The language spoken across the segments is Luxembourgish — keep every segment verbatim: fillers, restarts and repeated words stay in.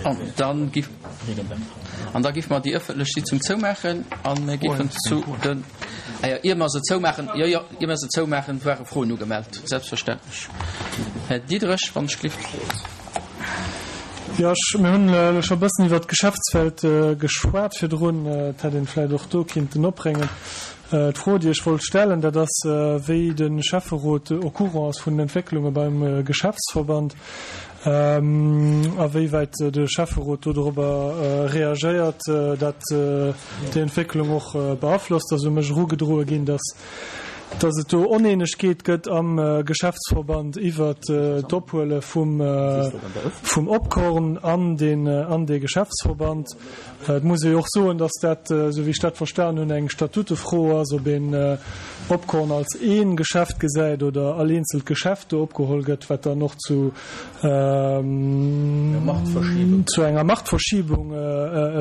An dann giff, an da giffe mer déi ëffentlech Sitzung zoumaachen a mir giffen zu den, ah jo, ier mer se zoumaachen, jo, jo, ier mer se zoumaachen, ware Froen ugemellt, selbstverständlech. Här Diderich, wann ech glift. Jo, ech, mir hunn elo scho e bëssen iwwert d'Geschäftsfeld geschwat virdrun. Et hätt een vläicht och do kinnten opbréngen. D'Fro, déi ech wollt stellen, dat ass, wéi de Schäfferot au courant ass vun den Entwécklunge beim Geschäftsverband, a wéiwäit de Schäfferot do dorobber reagéiert, dat déi Entwécklung och beaflosst. Ass u mech erugedroe ginn, dass dass et do Oneenegkeet gëtt am Geschäftsverband iwwert d'Ophuele vum vum Opkorn an deen an dee Geschäftsverband. Et muss ee jo och soen, dass dat, esou wéi ech dat verstan hunn, eng Statutefro ass, ob een Opkorn als ee Geschäft gesäit oder all eenzelt Geschäft do opgeholl gëtt, wat dann och zu zu enger Machtverschiebung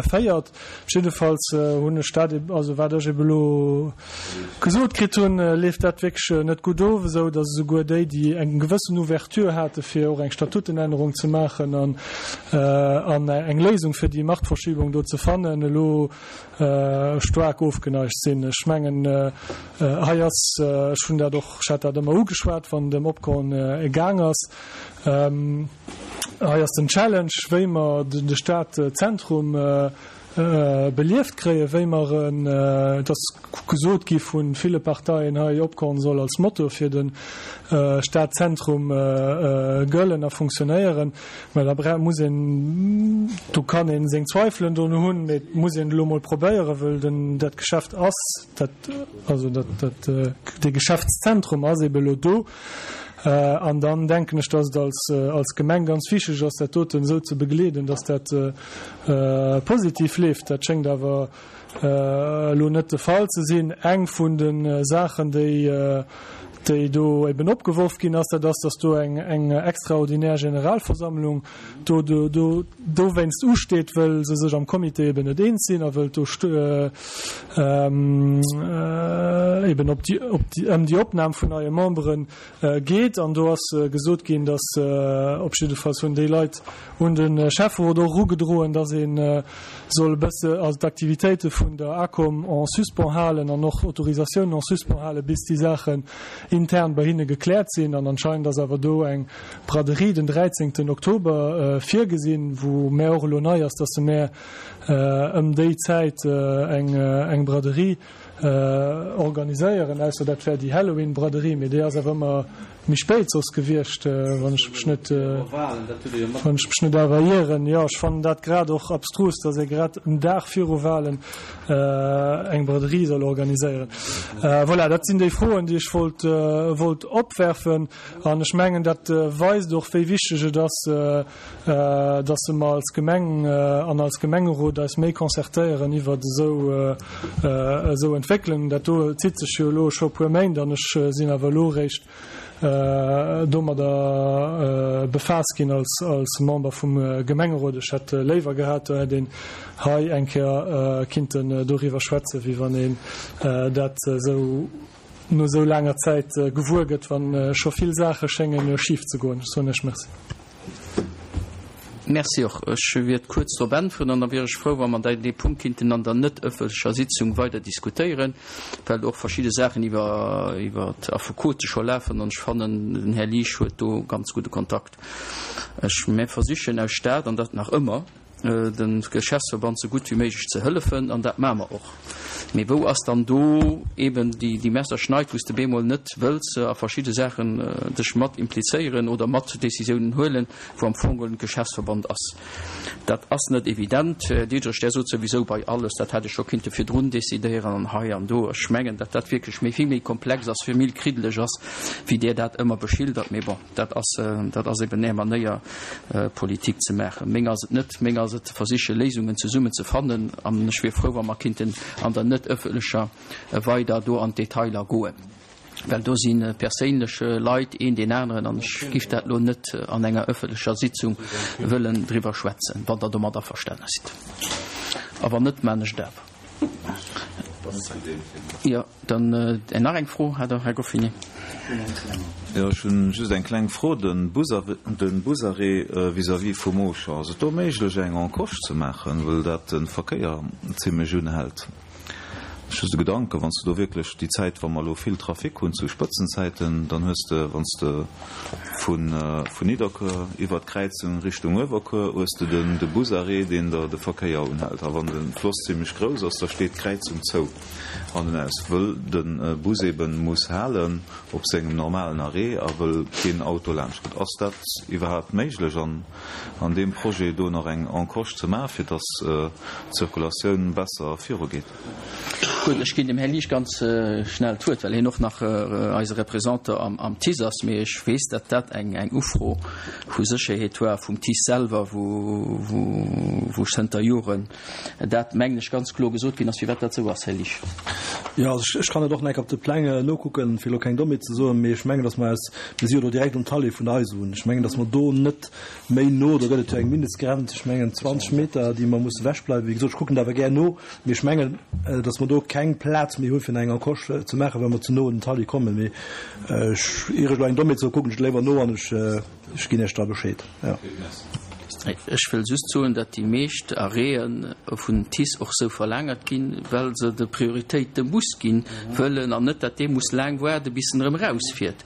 féiert. Jiddefalls hunn ech dat, also wat ech ebe elo gesot kritt hunn, leeft dat wierklech net gutt of, esou datt esouguer déi, déi eng gewëssen Ouverture hate fir och eng Statutenännerung ze maachen an an eng Léisung fir déi Machtverschiebung do ze fannen, elo staark ofgeneigt sinn. Ech mengen, hei ass, ech hunn dat och, ech hat dat ëmmer ugeschwat, wann et ëm Opkorn gaang ass, hei ass den Challenge, wéi mer de Stadzentrum belieft kréien, wéi mer en, et ass gesot gi vu ville Parteien hei, Opkorn soll als Motor fir de Stadzentrum gëllen a funktionéieren. Mä da bra muss een, do kann ee seng Zweifelen dono hunn, mee et muss een elo mol probéieren, wëll den, dat Geschäft ass, dat, also dat, dat, dee Geschäftszentrum ass eebe elo do. An dann denken ech, dass et als, als Gemeng ganz wichtig ass, dat doten esou ze begleeden, dass dat positiv leeft. Dat schéngt awer elo net de Fall ze sinn. Eng vun de Saachen, déi, déi do eben opgeworf ginn ass, dat ass, dass do eng, eng extraordinär Generalversammlung do, do, do dowéinst usteet, wëll se sech am Comité eben net eens sinn a wëll do eben op déi, op déi, ëm déi Opnam vun neie Memberen geet. An do ass gesot ginn, dass, op jiddefalls hunn déi Leit un de Schäfferot och erugedroen, dass ee soll e bësse, also d'Aktivitéite vun der ACOM en suspens halen an och Autorisatiounen en suspens halen, bis déi Saachen intern bei hinne gekläert sinn. An anscheinend ass awer do eng Braderie den dräizéngten Oktober virgesinn, wou mär och elo nei ass, dass se mär ëm déi Zäit eng eng Braderie organiséieren, ausser dat wär déi Halloween-Braderie, mee déi ass awer ëmmer méi spéit soss gewiescht, wann ech mech net, wann ech mech net awer ieren. Jo, ech fannen dat grad och abstrus, dass ee grad en Dag viru Wahlen eng Braderie soll organiséieren. Voilà, dat sinn déi Froen, déi ech wollt, wollt opwerfen. An ech mengen, dat weist och, wéi wichteg et ass, dass mer als Gemeng an als Gemengerot eis méi concertéieren iwwert esou, esou Entwécklungen. Dat do zitt sech jo elo scho e puer Méint an ech sinn awer elo eréischt domadder befaasst ginn als, als Member vum Gemengerot. Ech hätt léiwer gehat, do hätt een hei eng Kéier kinnten doriwwer schwätzen, wéi wann een dat esou no esou laanger Zäit gewuer gëtt, wa scho vill Saache schénge schif ze goen. Ech soen Iech Merci. Merci och. Ech wiert kuerz drop äntweren an da wier ech frou, wa mer dee Punkt kinnten an der net ëffentlecher Sitzung weider diskutéieren, well och verschidde Saachen iwwer iwwer Affekote scho lafen an ech fannen, den Här Liesch huet do ganz gudde Kontakt. Ech, mir versichen aus Stad, an dat nach ëmmer, dem Geschäftsverband sou gutt wéi méiglech ze hëllefen an dat maache mer och. Mee wou ass dann do eben déi, déi Messerschneid, wou s de bemol net wëlls a verschidde Saachen dech mat implizéieren oder mat Décisiounen huelen, wou am Fong geholl den Geschäftsverband ass? Dat ass net evident. Här Diederich, Der sot souwisou bei alles, dat hätt ech scho kinnte virdrun décidéieren an hei an do. Ech mengen, datt dat wierklech méi, vill méi komplex ass, vill méi kriddeleg ass, wéi Der dat ëmmer beschildert. Mee bon. Dat ass, dat ass eben Är Manéier, Politik ze maachen. Meng ass et net. Meng ass et, ze versiche Léisungen zesummen ze fannen. An ech wier frou, wa mer kinnten an der net ëffentlecher weider do an d'Detailer goen, well do si perséinlech Leit een deen aneren an ech giff dat elo net an enger ëffentlecher Sitzung wëllen driwwer schwätzen, wann Der domat averstane sidd. A wann net, maan ech et awer. Jo, dann nach eng Fro hat der, Här Goffinet. Jo, ech hunn just eng kleng Fro. De Busarrêt vis-à-vis vum Auchan, ass et do méiglech eng Encoche ze maachen, wëll dat de Verkéier zimlech unhält? Just e Gedanken, wann s de do wierklech déi Zäit, wa mer elo vill Trafic hunn zu Spëtzenzäiten, dann hues de, wann s de vun Nidderkuer iwwert d'Kräizung Richtung Uewerkuer, hues de den de Busarrêt, deen der de Verkéier unhält. A wann de Floss zimlech grouss ass, da steet d'Kräizung zou an en aus, wëll de Bus eben muss halen op sengem normalen Arrêt a wëll keen Auto laanscht kënnt. Ass dat iwwerhaapt méiglech an an deem Projet do nach eng Encoche ze maachen, fir dass d'Zirkulatioun besser virugeet? Gutt, ech ginn dem Här Liesch ganz schnell d'Wuert, well hien och nach eise Représentant am TICE ass. Mee ech weess, datt dat eng Ufro vu Sécherheet war vum TICE selwer, wou zënter Joren dat, mengen ech, ganz kloer gesot ginn ass, firwat dat esou ass, Här Liesch. Jo, also ech kann et och nach op de Pläng nokucken, fir elo keng Dommheet ze soen, mee ech mengen, datt mer aus, mir si jo do direkt um Tallet vun der Eisebunn, ech mengen, datt mer do net méi no, do gëtt et jo eng Mindestgrenz, ech mengen zwanzeg Meter, déi mer musse ewechbleiwen. Wéi gesot, ech kucken dat awer gär no, mee ech mengen, datt mer do keng Plaz méi hu fir eng Encoche ze maachen, well mer ze no un den Talli kommen. Mee ech, ier ech elo eng Dommheet soe, kucken ech et léiwer no an ech, ech ginn Iech da Bescheed. Jo. Ech wëll just soen, datt déi meescht Arrêtë vun TICE och sou verlaangert ginn, well se de Prioritéit dem Bus ginn wëllen an net, datt dee muss laang waarde bis en erëm erausfiert.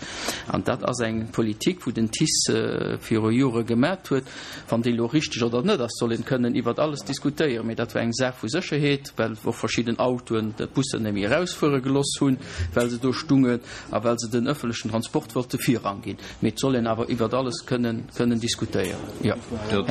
An dat ass eng Politik, wou den TICE viru Jore gemat huet. Wann déi elo richteg oder net ass, soll een kënnen iwwert alles diskutéieren, mee dat war eng Saach vu Sécherheet, well och verschidden Autoen d'Bussen net méi erausfuere geloss hunn, well se do stungen a well se den ëffentlechen Transport wollte Virrang ginn. Mee et soll een awer iwwert alles kënnen kënnen diskutéieren. Jo,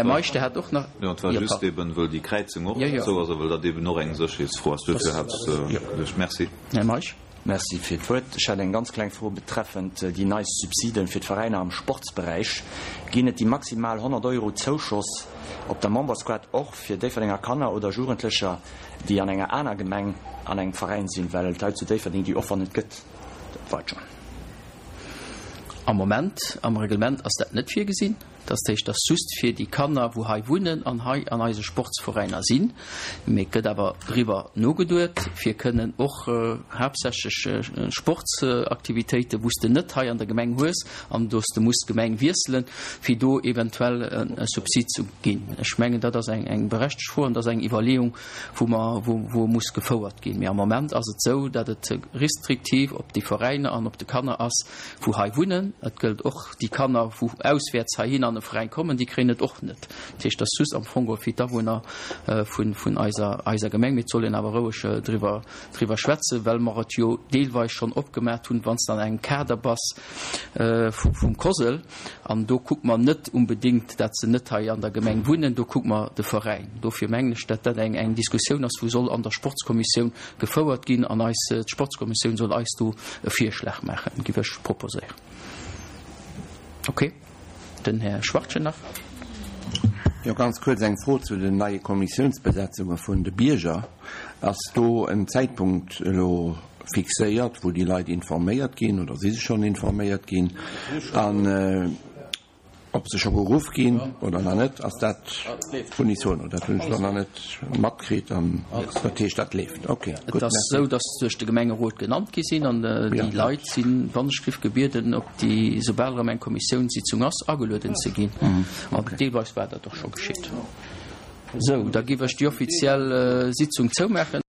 Här Meisch, Der hat och nach. Jo, et war just eben, wëll déi Kräizung och esou ass a wëll dat eben och eng Sécherheetsfro ass. Duerfir hat ech geduecht. Merci. Här Meisch. Merci fir d'Wuert. Ech hätt eng ganz kleng Fro betreffend déi nei Subsiden fir d'Veräiner am Sportsberäich. Ginn et déi maximal honnert Euro Zouschoss op der Membersquad och fir Déifferdenger Kanner oder Jugendlecher, déi an enger aner Gemeng an engem Veräin sinn, well et hei zu Déifferdeng déi Offer net gëtt? Dat war et schonn. Am Moment, am Reglement ass dat net virgesinn. Dat heescht, dat ass just fir déi Kanner, wou hei wunnen an hei an eise Sportsveräiner sinn. Mee et gëtt awer driwwer nogeduet, fir kënnen och haaptsächlech Sportsaktivitéiten, wou s de net hei an der Gemeng hues an do s de muss d'Gemeng wiesselen, fir do eventuell e Subsid ze ginn. Ech mengen, dat ass eng berechtegt Fro an dat ass eng Iwwerleeung, wou mer, wou muss gefouert ginn. Mee am Moment ass et esou, datt et restriktiv op déi Veräiner an op de Kanner ass, wou hei wunnen. Et gëllt och déi Kanner, wou auswäerts heihin an e Veräin kommen, déi kréien et och net. Dat heescht, dat ass just am Fong geholl fir d'Awunner vun, vun eiser, eiser Gemeng. Mee et soll een awer roueg driwwer, driwwer schwätzen, well mer et jo deelweis schonn opgemaat hunn, wann s de an engem Kader bass vu, vum COSL. An do kucke mer net unbedéngt, dat se net hei an der Gemeng wunnen, do kucke mer de Veräin. Dofir mengen ech, dat dat eng, eng Diskussioun ass, wou soll an der Sportskommissioun gefouert ginn an eis, d'Sportskommissioun soll eis do e Virschlag maachen, giff ech proposéieren. Ok. Den Här Schwachtgen nach. Jo, ganz kuerz eng Fro zu den neie Kommissiounsbesetzunge vun de Bierger. Ass do en Zäitpunkt elo fixéiert, wou déi Leit informéiert ginn, oder si se schonn informéiert ginn? An ob se scho geruff ginn oder nach net, ass dat unisono? Dat hunn ech elo nach net matkritt. An dat heescht, dat leeft. Ok, Et gutt, ass merci. esou, dass se duerch de Gemengerot genannt gi sinn an déi Leit sinn wannechgriff gebieden, op déi, soubal erëm eng Kommissiounssitzung ass, agelueden ze ginn. An deelweis war dat och scho geschitt. Esou, da géif ech déi offiziell Sitzung zoumaachen.